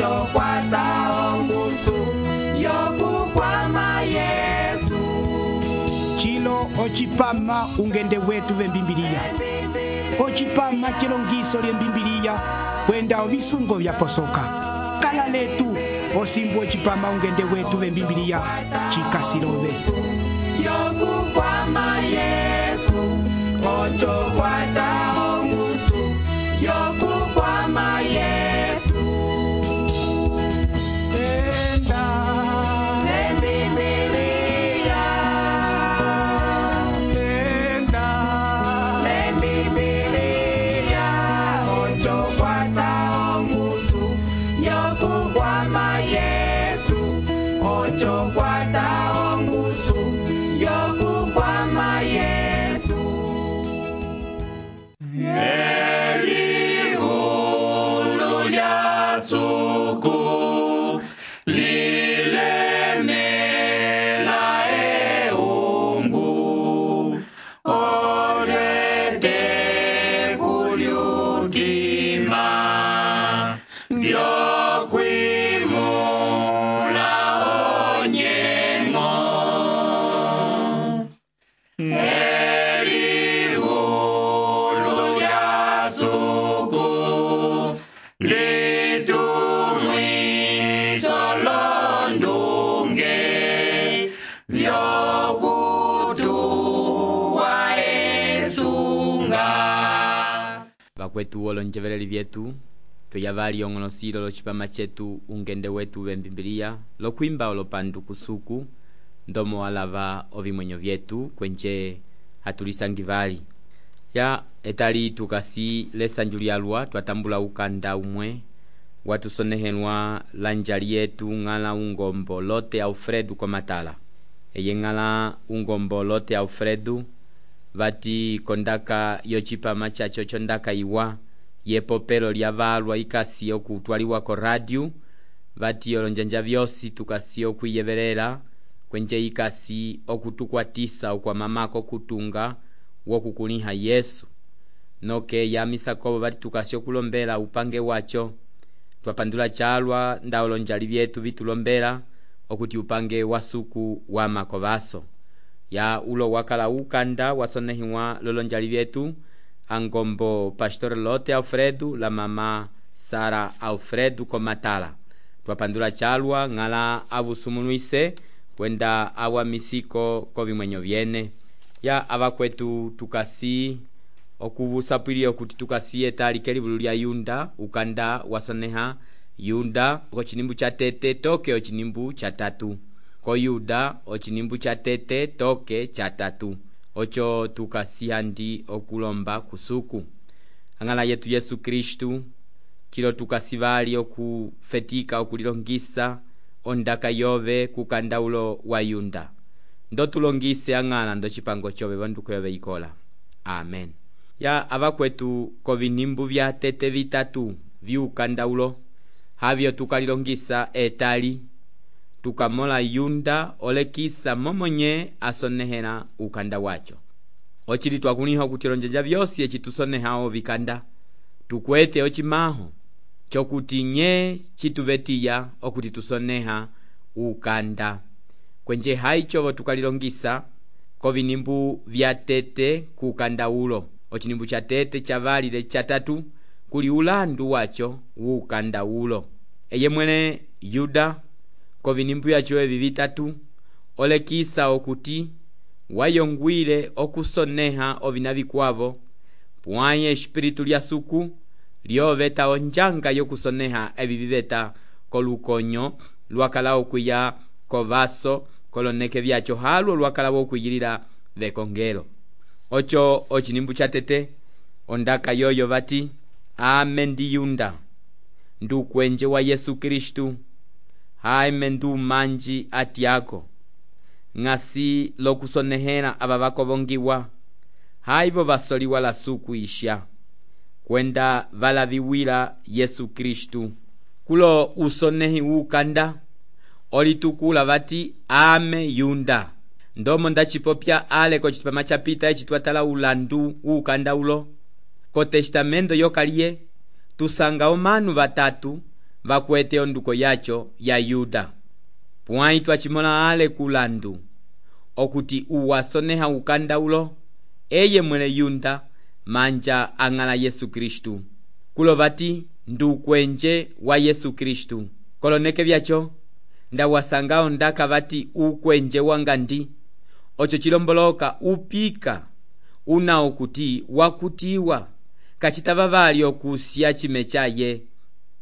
ocho kwata ongusu yokukwama Yesu. Chilo ochipama ungende wetu vembimbiliya. Ochipama chilongiso lyembimbiliya kwenda ovisungo vyaposoka. Kala letu osimbu ochipama ungende wetu vembimbiliya chikasilove. Yokukwama Yesu, ocho kwata ongusu yokukwama Yesu. Tenda Lembibiliya, tenda Lembibiliya, ocho kwata ongusu yokukwama Yesu, ocho kwata ongusu yokukwama Yesu. Elihulu lya suku lilemela eungu, olete kulyutima vyokwimula onyengo. Elihulu lya suku litumwiso londunge vyokutuwa esunga. Vakwetu olonjeveleli vyetu tuyavali ong'olosilo lochipama chetu ungende wetu vembimbiliya lokwimba olopandu kusuku ndomo walava ovimwenyo vyetu kwenje hatulisangivali ya etali tukasi lesanju lyalwa twatambula ukanda umwe watusonehelwa lanjali yetu ng'ala ungombo Lote Alfredo Komatala. Eye ng'ala ungombo Lote Alfredo vati kondaka yochipama chacho chondaka iwa yepopelo lyavalwa ikasi okutwaliwa ko radio vati olonjanja vyosi tukasi okwiyevelela kwenje ikasi okutukwatisa okwa mamako kutunga wokukuliha Yesu noke yamisa kobo vati tukasi okulombela upange wacho twapandula chalwa nda olonjali vyetu vitulombela okuti upange wasuku wa makovaso ya ulo wakala ukanda wasonehiwa lolonjali vyetu angombo Pastor Lote Alfredo la mama Sara Alfredo Komatala. Twapandula chalwa ng'ala avusumunuise kwenda awa misiko kovimwenyo vyene ya avakwetu tukasi okuvusapwili okuti tukasi etali kelivulu lya Yunda ukanda wasoneha Yunda ochinimbu cha tete toke ochinimbu cha tatu ko Yuda ochinimbu cha tete toke cha tatu ocho tukasi handi okulomba kusuku angala yetu Yesu Kristu kilo tukasivali okufetika okulilongisa ondaka yove kukanda ulo wa Yunda ndo tulongise angala ndo chipango chove vanduko yove ikola. Amen. Ya avakwetu kovinimbu vya tete vitatu viukanda ulo havyo tukalilongisa etali tukamola Yunda olekisa momonye asonehela ukanda wacho ochili twakuliha okutilonjeja vyosi echitusonehao vikanda tukwete ochimaho chokuti nye chituvetiya okuti tusoneha ukanda kwenje haichovo tukalilongisa kovinimbu vya tete kukanda ulo ochinimbu cha tete chavalile chatatu kuli ulandu wacho ukanda ulo eye mwene Yuda kovinimbu yacho evi vitatu olekisa okuti wayongwile okusoneha ovina vikwavo pwaye espiritu lya suku lyoveta onjanga yokusoneha evi viveta kolukonyo lwakala okwiya kovaso koloneke vyacho halwo lwakala okwiyilila vekongelo ocho ochinimbu cha tete ondaka yoyo vati amen ndi Yunda ndukwenje wa Yesu Kristu haime ndu manji atiako ngasi lokusonehela aba bakovongiwa haivo vasoliwa la suku isha kwenda valaviwila Yesu Kristu kulo usonehi ukanda olitukula vati ame Yunda ndomo ndachipopya ale ko chipama chapita echitwatala ulandu ukanda ulo ko testamento yokaliye tusanga omanu batatu vakwete onduko yacho ya Yuda. Pwãyi twachimola ale kulandu okuti uwasoneha ukandaulo eye mwele Yuda manja ang'ala Yesu Kristu. Kulovati ndukwenje wa Yesu Kristu. Koloneke vyacho ndawasanga ondaka vati ukwenje wangandi ocho chilomboloka upika una okuti wakutiwa kachitava vali okusya chime chaye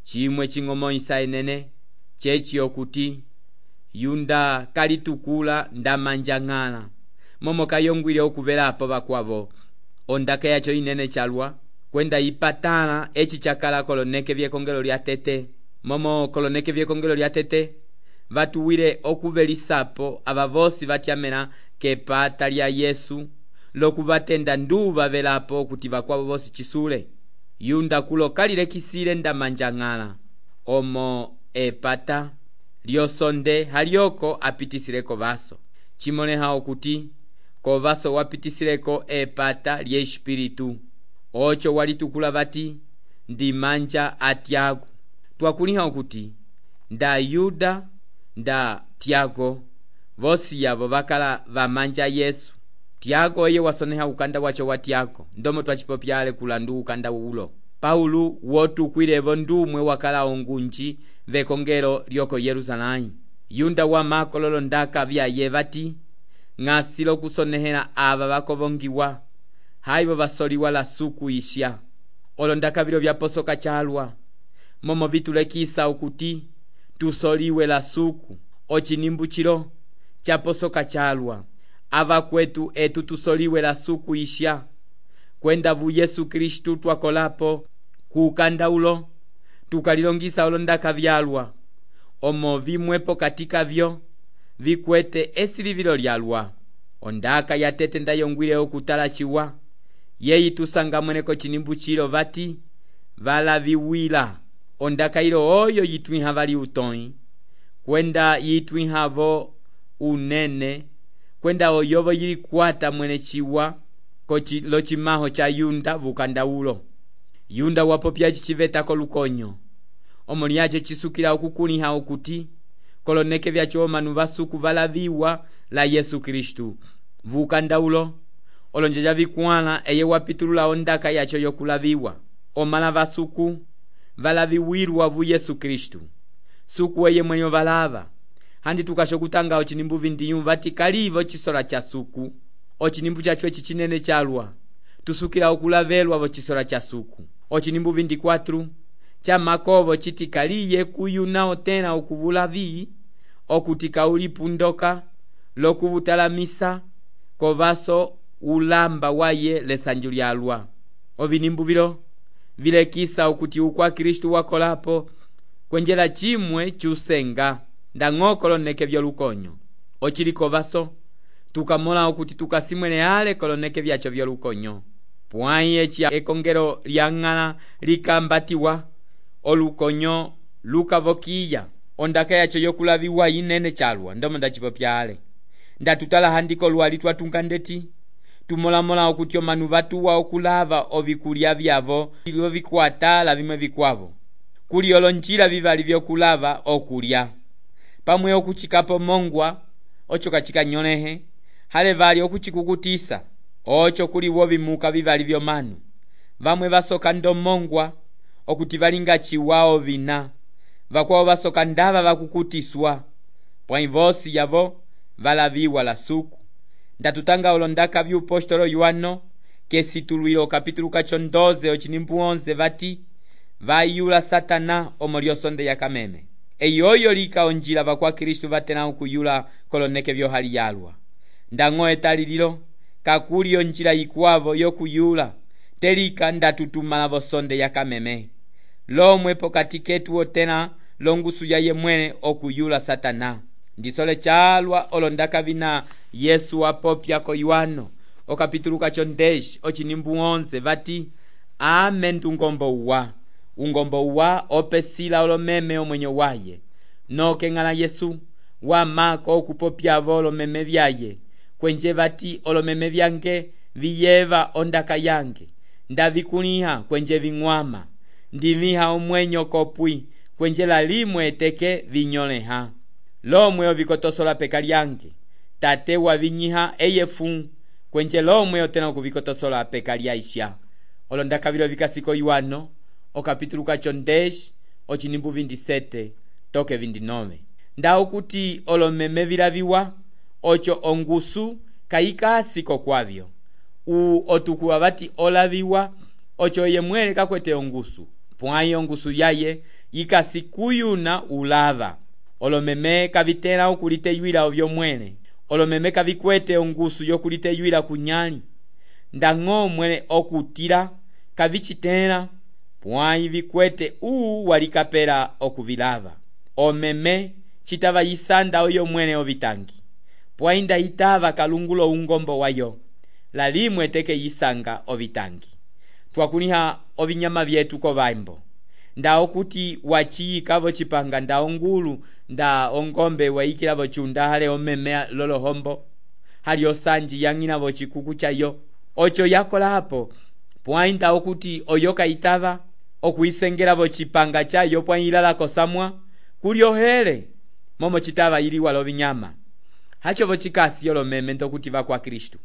chimwe ching'omoisa enene chechi okuti Yuda kalitukula ndamanja ng'ala momo kayongwile okuvelapo vakwavo ondaka yacho inene chalwa kwenda ipatala echi chakala koloneke vyekongelo lya tete. Momo koloneke vyekongelo lya tete vatuwile okuvelisapo ava vosi vatyamela kepata lya Yesu lokuvatenda nduva velapo kuti vakwavo vosi chisule. Yuda kulo kalilekisile ndamanja ng'ala omo epata lyosonde halyoko apitisileko vaso chimoleha okuti kovaso wapitisileko epata lye espiritu ocho walitukula vati ndimanja a Tiago. Twakuliha okuti nda Yuda nda Tiago vosi yavo vakala vamanja Yesu. Tiago eye wasoneha ukanda wacho wa Tiago ndomo twachipopyale kulandu ukanda ulo. Paulo wotukwilevo ndumwe wakala ongunji vekongelo lyoko Yerusalemu. Yuda wa makololo ndaka vyaye vati ng'asilo kusonehela ava vakovongiwa haivo vasoliwa la suku isya. Olo ndaka vilo vyaposoka chalwa momo vitulekisa ukuti tusoliwe la suku ochinimbu chilo chaposoka chalwa ava kwetu etu tusoliwe la suku isya kwenda vu Yesu Kristu twakolapo kukanda ulo tukalilongisa ulo ndaka vyalwa omo vimwepo katika vyo vikwete esilivilo lyalwa. Ondaka ya tete ndayongwile okutala chiwa yeyi tusanga mweneko chinimbu chilo vati valaviwila. Ondaka ilo oyo yitwiha vali utoi kwenda yitwihavo unene kwenda oyovo yilikwata mwene chiwa lo chimaho cha Yuda vukanda ulo. Yuda wapopya chichivetako lukonyo omo lyacho chisukila okukuliha okuti koloneke vyacho omanu vasuku valaviwa la Yesu Kristu vukanda ulo olonjeja vikwala eye wapitulula ondaka yacho yokulaviwa omala vasuku valaviwirwa vu Yesu Kristu suku eye mwenyo valava handi tukashokutanga ochinimbu vindiyu vati kalivo chisola cha suku ochinimbu chacho chichinene chalwa tusukila okulavelwa vo chisola cha suku. Ochinimbu 24 cha makovo chiti kaliye kuyuna otena okuvulavi okuti kaulipundoka lokuvutalamisa kovaso ulamba waye lesanju lyalwa. Ovinimbu vilo vilekisa okuti ukwa Kristu wakolapo kwenjela chimwe chusenga ndang'okoloneke vyolukonyo ochiliko vaso tukamola okuti tukasimwele ale koloneke vyacho vyolukonyo. Pwãyi echi ekongelo lyang'ala likambatiwa olukonyo lukavokiya ondaka yacho yokulaviwa inene chalwa ndomo ndachipopya ale ndatutala handiko lwali twatunga ndeti tumolamola okuti omanu vatuwa okulava ovikulya vyavo ilo vikwatala vimwe vikwavo kuli olonjila vivali vyokulava okulya pamwe okuchikapo mongwa ocho kachikanyolehe hale vali okuchikukutisa ocho kuliwo vimuka vivali vyomanu vamwe vasoka ndomongwa okuti valinga chiwao vina vakwao vasoka ndava vakukutiswa pwãyi vosi yavo valaviwa la suku. Ndatutanga olondaka vyupostolo Yohano kesitulwilo kapitulu kacho 12 ochinimbu 11 vati vayula Satana omo lyosonde ya kameme eyoyo lika onjila vakwa Kristu vatena okuyula koloneke vyohali yalwa ndang'o etalililo kakuli onjila ikwavo yokuyula telika ndatutumala vosonde ya kameme lomwe pokati ketu otena longusu ya yemwene okuyula Satana. Ndisole chalwa olondaka vina Yesu apopya ko Yohano okapitulu kacho 10 ochinimbu 11 vati amen ungombo uwa opesila olomeme omwenyo waye noke ng'ala Yesu wamako okupopya olomeme vyaye kwenje vati olomeme vyange viyeva ondaka yange ndavikuliha kwenje ving'wama ndiviha omwenyo kopwi kwenje lalimwe eteke vinyoleha lomwe ovikotosola peka lyange tate wavinyiha eyefu kwenje lomwe otena okuvikotosola peka lyaisha. Olo ndakavilo vikasiko iwano okapitulu kacho 10 ochinimbu 27 toke 29 ndawo kuti olomeme vilaviwa ocho ongusu kayikasiko kwavyo otukuwa vati olaviwa ocho yemwele kakwete ongusu pwayi ongusu yaye yikasikuyuna ulava. Olomeme kavitela okuliteywila ovyo mwene olomeme kavikwete ongusu yokuliteywila kunyali ndang'o mwene okutila kavichitela pwayi vikwete walikapela okuvilava. Omeme chitava yisanda oyo mwene ovitangi pwayi ndayitava kalungulo ungombo wayo lalimwe teke yisanga ovitangi. Twakuliha ovinyama vyetu kovambo nda okuti wachiyikavo chipanga nda ongulu nda ongombe waikilavo chunda hale omeme lolohombo hali osanji yang'inavo chikuku chayo ocho yakolapo pwayi nda okuti oyoka itava okuisengelavo chipanga chayo pwayi ilalako samwa kuliohele momo chitava iliwa lovinyama hachovo chikasi olomeme ndokuti vakwa Kristu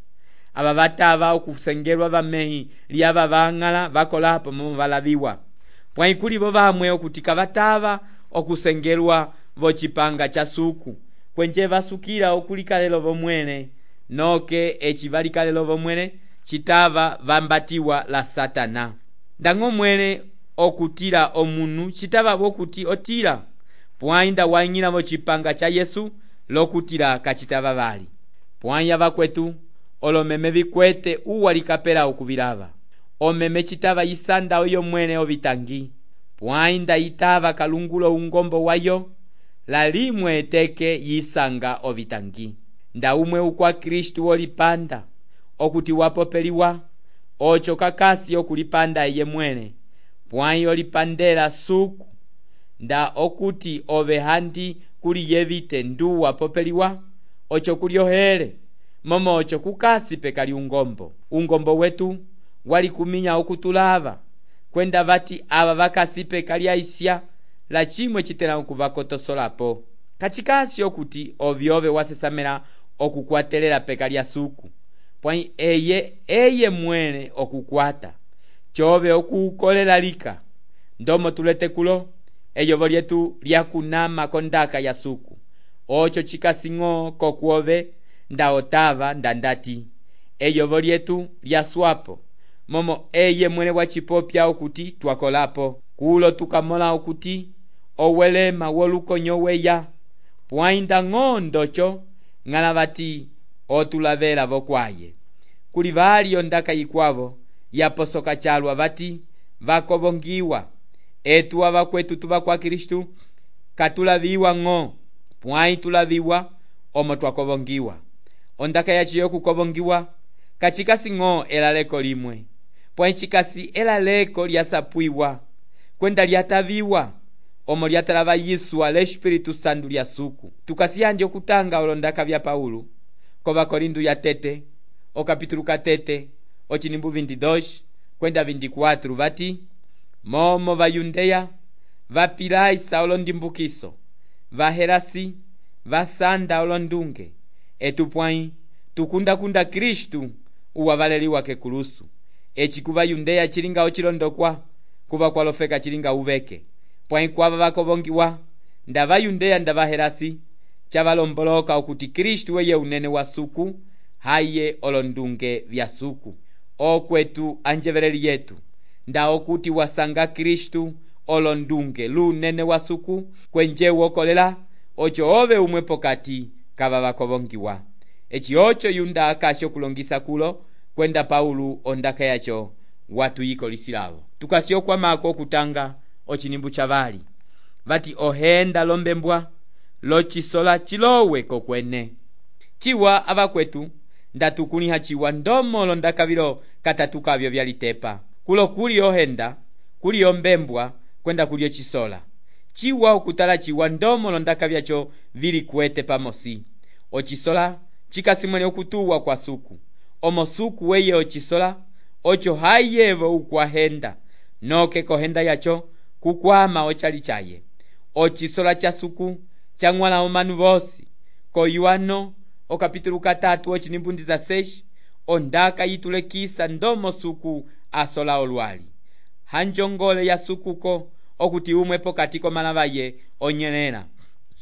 ava vatava okusengelwa vamehi liava vang'ala vakolapo momo valaviwa pwayi kulivo vamwe okuti kavatava okusengelwa vochipanga cha suku kwenje vasukila okulikalelo vomwene noke echi valikalelo vomwene chitava vambatiwa la Satana. Ndang'o mwene okutila omunu chitava vokuti otila pwayi nda wang'ila vochipanga cha Yesu lokutila kachitava vali. Pwayi avakwetu olomeme vikwete uwalikapela okuvilava omeme chitava yisanda oyo mwene ovitangi pwayi nda itava kalungulo ungombo wayo lalimwe eteke yisanga ovitangi. Nda umwe ukwa Kristu olipanda okuti wapopeliwa ocho kakasi okulipanda eye mwene pwayi olipandela suku nda okuti ove handi kuli yevite ndu wapopeliwa ocho kuliohele momo ocho kukasi pekali ungombo wetu walikuminya okutulava kwenda vati ava vakasi pekali aisya la chimwe chitela okuvakotosolapo kachikasi okuti ovyove wasesamela okukwatelela pekali ya suku pwayi eye mwene okukwata chove okukolela lika ndomo tulete kulo eyovo lyetu lyakunama kondaka ya suku ocho chikasing'o kokuove nda otava ndandati eyovo lyetu lyaswapo momo eye mwene wachipopya okuti twakolapo kulo tukamola okuti owelema wolukonyo weya pwayi ndang'o ndocho ng'ala vati otulavela vokwaye kuli vali ondaka yikwavo yaposoka chalwa vati vakovongiwa etu avakwetu tuva kwa Kristu katulaviwa ng'o pwayi tulaviwa omo twakovongiwa. Ondaka yachi yokukovongiwa kachikasi ng'o elaleko limwe pwayi chikasi elaleko lyasapwiwa kwenda lyataviwa omo lyatalava yiswa l'Espiritu Santu lya suku. Tukasiyanje okutanga olondaka vya Paulo kova Korinto ya tete okapitulu katete ochinimbu 22 kwenda 24 vati momo vayundeya vapilaisa olondimbukiso vaherasi vasanda olondunge etu pwayi tukundakunda Kristu uwavaleliwa kekulusu echi kuva yundeya chilinga ochilondokwa kuva kwalofeka chilinga uveke pwayi kwava vakovongiwa nda vayundeya nda vaherasi chavalomboloka okuti Kristu weye unene wa suku haye olondunge vya suku. Okwetu anjevereli yetu nda okuti wasanga Kristu olondunge lunene wa suku kwenje wokolela ocho ove umwe pokati kava vakovongiwa echi ocho yunda akasho kulongisa kulo kwenda Paulo ondaka yacho watu yiko lisilavo. Tukasio kwa mako okutanga ochinimbu chavali vati ohenda lombembwa lochisola chilowe kokwene chiwa avakwetu ndatukuliha chiwa ndomo londakavilo katatukavyo vyalitepa kulo kuli ohenda kuli ombembwa kwenda kulio chisola chiwa okutala chiwa ndomo londakavyacho vili kwete pamosi ochisola chikasimwene okutuwa kwa suku omo suku weye ochisola ocho hayevo ukwahenda noke kohenda yacho kukwama ochali chaye ocisola cha suku chang'wala omanu vosi koyuano okapitulo 3 ocinimbu 16 ondaka yitulekisa ndomo suku asola olwali hanjongole ya sukuko okuti umwe pokati komalavaye onyelela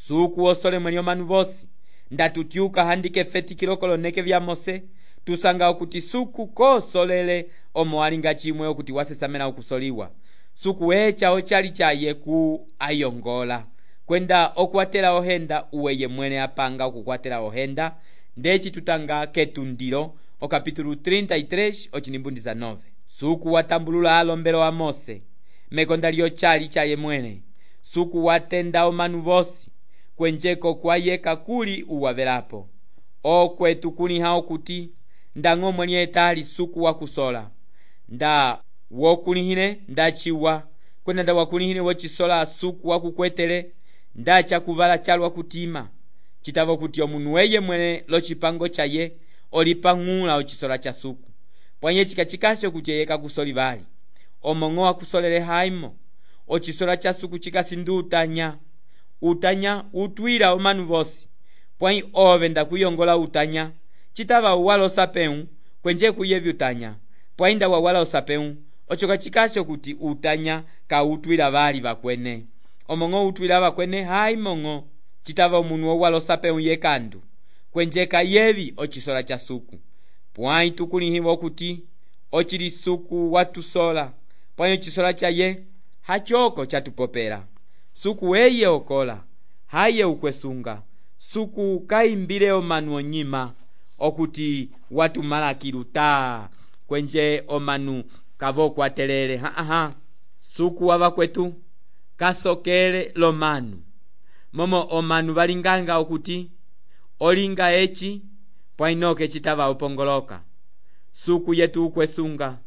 suku osole mweli omanu vosi ndatutyuka handike fetikilo koloneke vya Mose tusanga okuti suku kosolele omo alinga chimwe okuti wasesamela okusoliwa suku echa ochali chaye ku ayongola kwenda okwatela ohenda uweye mwene apanga okukwatela ohenda ndeci tutanga ketundilo okapitulo 33 ocinimbu 19 suku watambulula alombelo wa Mose mekonda lyo chali chaye mwene suku watenda omanu vosi kwenjeko kwayeka kuli uwavelapo okwetu kuliha okuti ndang'o mweli etali suku wakusola nda wokulihile ndachiwa kwenda nda wakulihile wocisola suku wakukwetele ndacha kuvala chalwa kutima citava kuti omunu weye mwene locipango chaye olipang'ula ocisola cha suku pwanye cikacikashe kuti yeka kusoli vali omong'o wakusolele haimo ocisola cha suku cikasindu utanya utwila omanu vosi pwai ove ndakuyongola utanya citava uwala osapeu kwenje kuyevi utanya pwai nda wawala osapeu oco kacikashe kuti utanya kautwila vali vakwene omong'o utwila vakwene haimong'o citava omunu wowala osapeu yekandu kwenje kayevi ocisola cha suku pwai tukulihiwa okuti ocili suku watusola pwai ocisola chaye hachoko chatupopela suku eye okola haye ukwesunga suku kaimbile omanu onyima okuti watumalakilu taa kwenje omanu kavokwatelele suku wavakwetu kasokele lomanu momo omanu valinganga okuti olinga eci pwainoke citava upongoloka suku yetu ukwesunga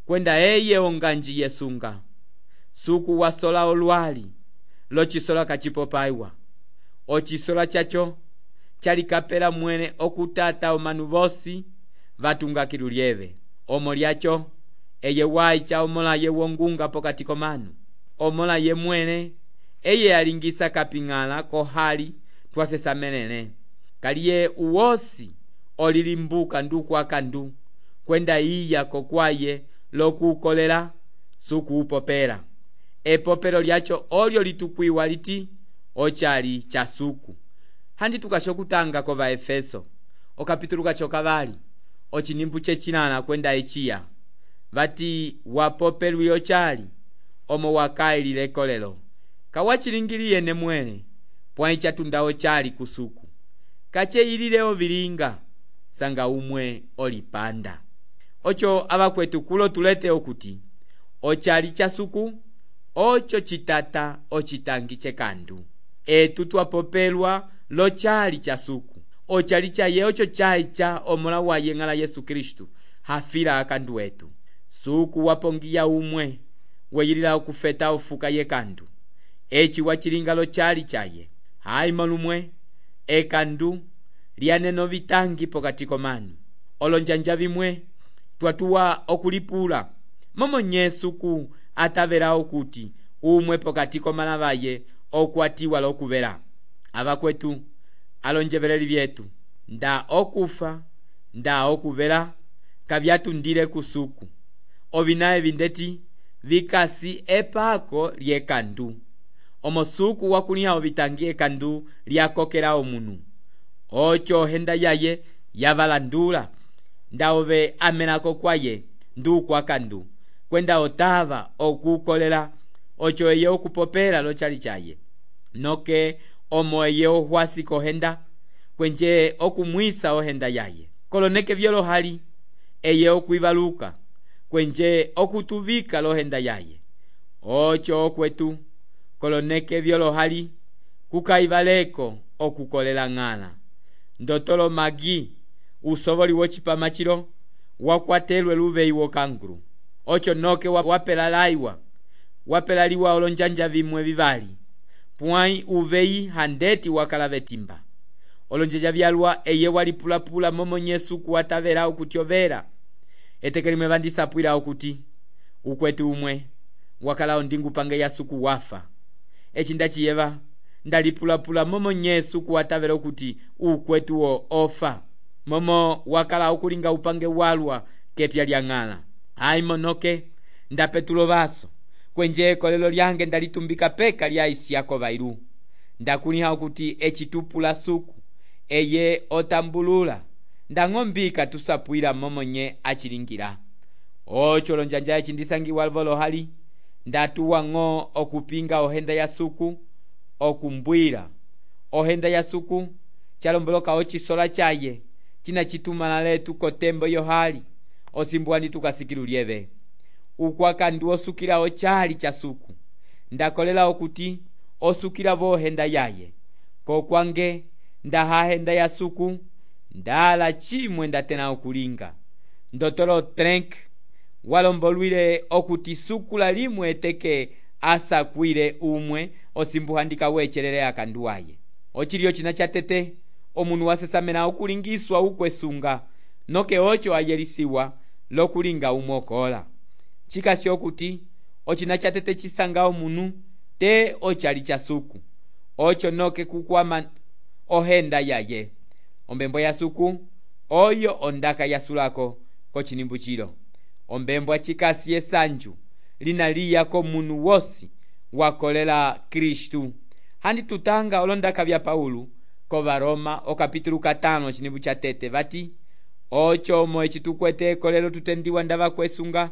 kwenda eye onganji yesunga suku wasola olwali locisola kacipopaiwa ocisola chacho chalikapela mwene okutata omanu vosi vatungakilu lyeve omo lyacho eye waicha omola ye wongunga pokati komanu omola ye mwene eye alingisa kaping'ala kohali twasesamelele kaliye uwosi olilimbuka ndukwakandu kwenda iya kokwaye lokukolela suku upopela epopelo lyacho olyo litukwiwa liti ochali cha suku handi tukashokutanga kova Efeso okapitulo kacho kavali ocinimbu cecilala kwenda eciya vati wapopelwi ochali omo wakailile kolelo kawachilingiliye ne mwene pwai chatunda ochali kusuku kacheilile ovilinga sanga umwe olipanda ocho avakwetu kulo tulete okuti ochali cha suku ocho citata ocitangi cekandu etu twapopelwa lochali cha suku ochali chaye ocho chaicha omola waye ng'ala Yesu Kristu hafila akandu wetu suku wapongiya umwe weyilila okufeta ofuka yekandu eci wachilinga lochali chaye haima lumwe ekandu lyaneno vitangi pokati komanu olonjanja vimwe twatuwa okulipula momo nye suku atavela okuti umwe pokati komalavaye okwatiwa lokuvela avakwetu alonjeveleli vyetu nda okufa nda okuvela kavyatundile kusuku ovinaye vindeti vikasi epako lyekandu omo suku wakuliha ovitangi ekandu lyakokela omunu ocho ohenda yaye yavalandula nda ove amelako kwaye ndukwakandu kwenda otava okukolela ocho eye okupopela lochali chaye noke omo eye ohwasi kohenda kwenje okumwisa ohenda yaye koloneke vyolohali eye okwivaluka kwenje okutuvika lohenda yaye ocho okwetu koloneke vyolohali kukaivaleko okukolela ng'ala ndotolo magi usovoli wocipamachilo wakwatelwe luveyi wokangulu ocho noke wapelaliwa olonjanja vimwe vivali pwai uveyi handeti wakala vetimba olonjanja vyalwa eye walipulapula momo nyesu kuwatavela okutyovera etekelimwe vandisapwila okuti ukwetu umwe wakala ondingupange ya suku wafa eci ndaciyeva ndalipulapula momo nyesu kuwatavela kuti ukwetuwo ofa momo wakala ukulinga upange walwa kepya lyang'ala ayi monoke ndapetulo vaso kwenje ekolelo lyange ndalitumbika peka lya isiyako vailu ndakuliha kuti ecitupula suku eye otambulula ndang'ombika tusapwila momonye acilingira oco lonjanja eci ndisangiwa volo hali ndatuwa ng'o okupinga ohenda ya suku okumbwira ohenda ya suku chalomboloka ocisola chaye cina citumana letu kotembo yo hali osimbuani tukasikilulyeve ukwaka ndi osukila ochali cha suku ndakolela okuti osukila vohenda yaye kokwange ndahahenda ya suku ndala chimwe ndatena okulinga ndotolo trenk walombolwile okuti suku la limwe eteke asakwile umwe osimbuhandika wecherere akanduwaye ochiliyo cina chatete omunu wasesamena okulingiswa ukwesunga noke ocho ayelisiwa lokulinga umokola chikasi okuti ocina chatete cisanga omunu te ochali cha suku ocho noke kukwama ohenda yaye ombembo ya suku oyo ondaka yasulako kocinimbu cilo ombembo chikasi esanju linaliya ko munu wosi wakolela Kristu handi tutanga olondaka vya Paulo ko Varoma okapitulu 5 cinimbu cha tete vati ocho mo ecitukwete ekolelo tutendiwa ndava kwesunga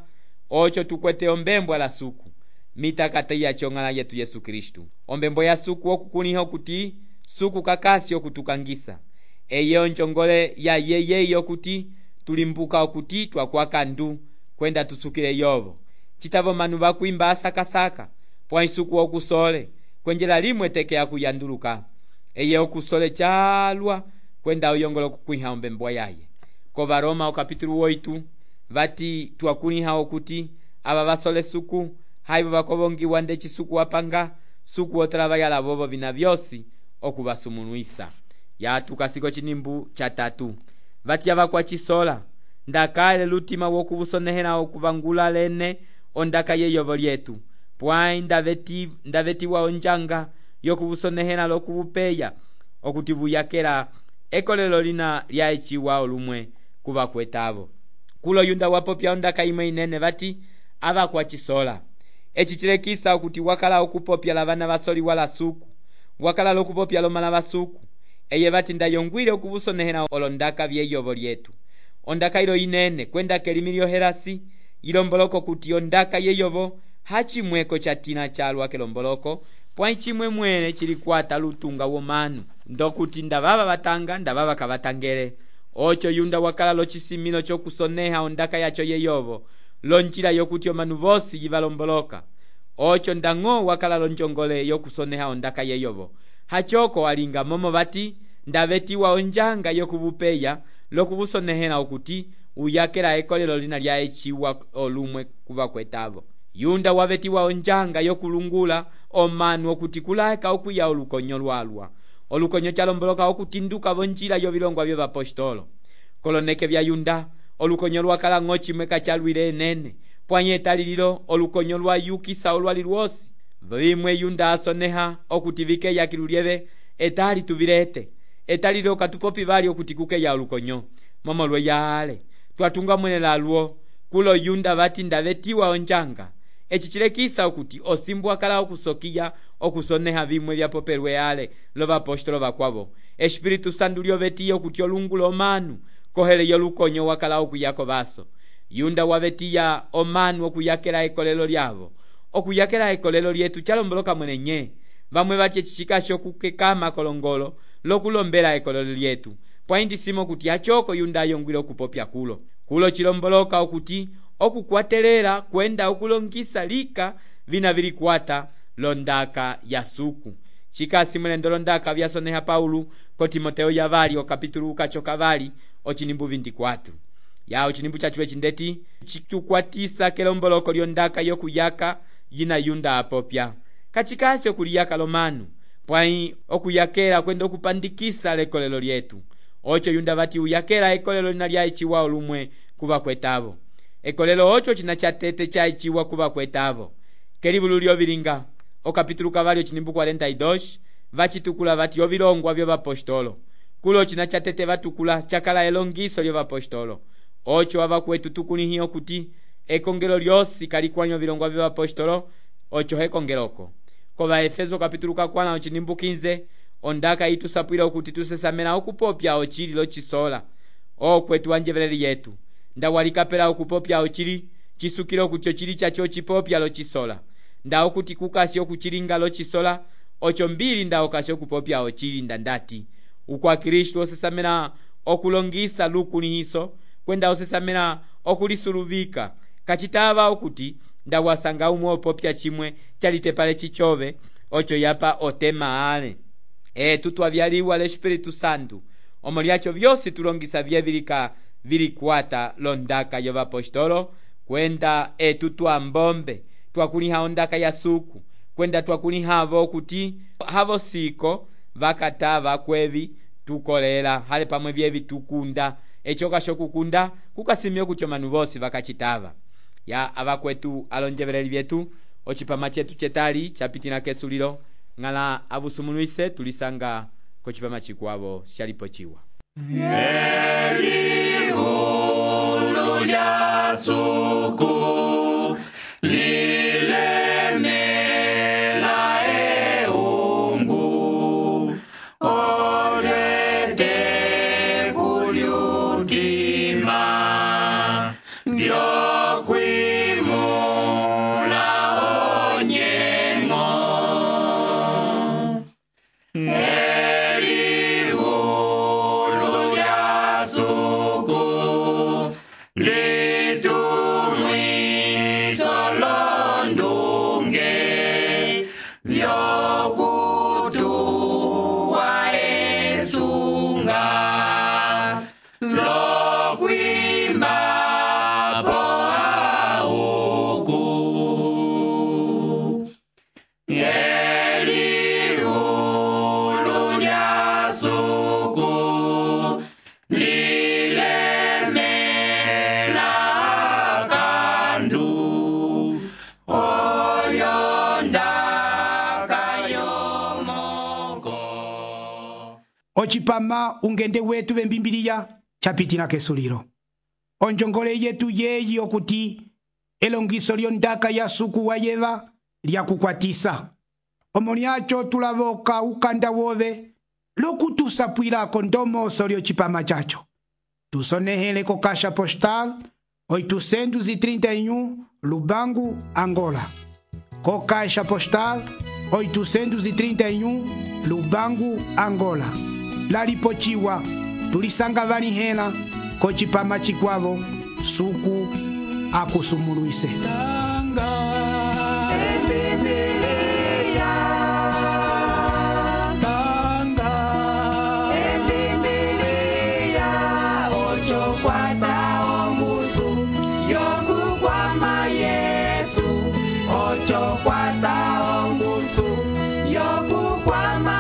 ocho tukwete ombembo la suku mitakati ya chong'ala yetu Yesu Kristu ombembo ya suku okukuniho kuti suku kakasi okutukangisa eye onjongole ya yeye okuti tulimbuka okuti twakwaka ndu kwenda tusukile yovo citavo manu vakwimba asakasaka pwa isuku okusole kwenjela limwe teke akuyanduluka eye okusole chalwa kwenda uyongolo kukwiha ombembo yaye ko Varoma okapitulu 8 vati twakuniha okuti aba basole suku haivo bakovongiwa nde chisuku wapanga suku otrava yala vovo vina vyosi okubasumunuisa ya tukasiko cinimbu cha 3 vati ava kwa chisola ndakale lutima wokubusonehera okuvangula lene ondaka yeyovo lyetu pwai ndavetiwa onjanga yokubusonehera lokubupeya okuti buyakela ekolelo lina lya eciwa olumwe kuva kwetavo kulo yunda wapopya ondaka imwe inene vati ava kwa chisola eci chilekisa okuti wakala okupopya la vana basoli wala suku wakala lokupopya lomala basuku eye vati ndayongwile okubusonehera olondaka vyeyovo lyetu ondaka ilo inene kwenda kelimi lyoherasi ilomboloko kuti ondaka yeyovo hachimweko chatina chalwa kelomboloko pwai chimwe mwene chilikwata lutunga womanu ndokuti ndavava batanga ndavava kabatangele ocho yunda wakala lochisimilo chokusoneha ondaka yacho yeyovo lonjila yokuti omanu vosi yivalomboloka ocho ndang'o wakala lonjongole yokusoneha ondaka yeyovo hachoko alinga momo vati ndavetiwa onjanga yokubupeya lokubusonehera okuti uyakela ekolelo lina lya eciwa olumwe kuva kwetavo yunda wavetiwa onjanga yokulungula omanu okuti kulaeka okuya olukonyo lwalwa olukonyo chalomboloka okutinduka vonjila yovilongwa vyo vapostolo koloneke vya yunda olukonyo lwakala ng'o chimwe kachalwile enene pwanye etalililo olukonyo lwayukisa olwali lwosi vimwe yunda asoneha okuti vikeya kilulyeve etali tuvilete etalilo katupopi vali okuti kukeya olukonyo momo lweyale twatunga mwene lalwo kulo yunda vati ndavetiwa onjanga eci chilekisa okuti osimbu akala okusokiya okusoneha vimwe vyapopelwe ale lovapostolo vakwavo espiritu sandu lyovetiya okuti olungula omanu kohele yolukonyo wakala okuyako vaso yunda wavetiya omanu okuyakela ekolelo lyavo okuyakela ekolelo lyetu chalomboloka mwene nye vamwe vati eci chikasho kukekama kolongolo lokulombela ekolelo lyetu pwaindisimo kuti achoko yunda ayongwile okupopya kulo chilomboloka okuti okukwatelera kwenda okulongisa lika vina vilikwata londaka ya suku chikasi mwene londaka vyasoneha Paulo ko Timoteo yavali okapitulu kachoka vali ochinimbu 24 ya ochinimbu chachiwe chindeti chitukwatisa kelomboloko lyondaka yokuyaka yina yunda apopya kachikasi okuliyaka lomanu pwai okuyakela kwenda okupandikisa lekolelo lyetu ocho yunda vati uyakela ekolelo lina lya eciwa olumwe kuva kwetavo ekolelo ocho china chatete cha eciwa kuva kwetavo kelivulu lyovilinga okapitulo kavali ocinimbu 42 vacitukula vati ovilongwa vyovapostolo kulo cina catete vatukula cakala elongiso lyovapostolo oco avakwetu tukulihiya okuti ekongelo lyosi kalikwanyo ovilongwa vyovapostolo oco hekongeloko kova Efeso kapitulo kakwana ocinimbu 15 ondaka itusapwila okuti tusesamela okupopya ocili locisola okwetu wanjeveleli yetu nda walikapela okupopya ocili cisukila okuti ocili caco ocipopya locisola nda okuti kukasi okucilinga locisola oco mbili nda okasi okupopya ocili nda ndati ukwa Kristu osesamela okulongisa lukulihiso kwenda osesamela okulisuluvika kacitava okuti nda wasanga umwe opopya cimwe calitepale cicove oco yapa otema ale tutwavyaliwa l'Espiritu Santu omo lyaco vyosi tulongisa vyevilika vilikwata londaka yovapostolo kwenda tutwambombe twakuliha ondaka ya suku kwenda twakulihavo okuti havo siko vakatava kwevi tukolela hale pamwe vyevi tukunda ecoka shokukunda kukasimya okuti omanu vosi vakacitava ya avakwetu alonjeveleli vyetu ocipama cetu cetali capitina kesulilo ng'ala avusumulwise tulisanga kocipama cikwavo shalipo ciwa Elihulu lya suku lilemela eungu olete kulyutima vyokwimula onyengo Elihulu lya suku litumwiso londunge vyokutuwa esunga lokwimba po auku Elihulu lya suku lilemela kandu olyondaka yomoko ocipama ungende wetu vembimbiliya capitina kesulilo onjongole yetu yeyi okuti elongiso lyondaka ya suku wayeva lyakukwatisa omo lyaco tulavoka ukanda wove lokutusapwilako ndomoso lyocipama caco tusonehele ko caixa postal 831 Lubangu, Angola. Co caixa postal 831 Lubangu, Angola. Lalipochiwa tulisanga vanihela kocipama cikwavo suku akusumulwise Yokukwama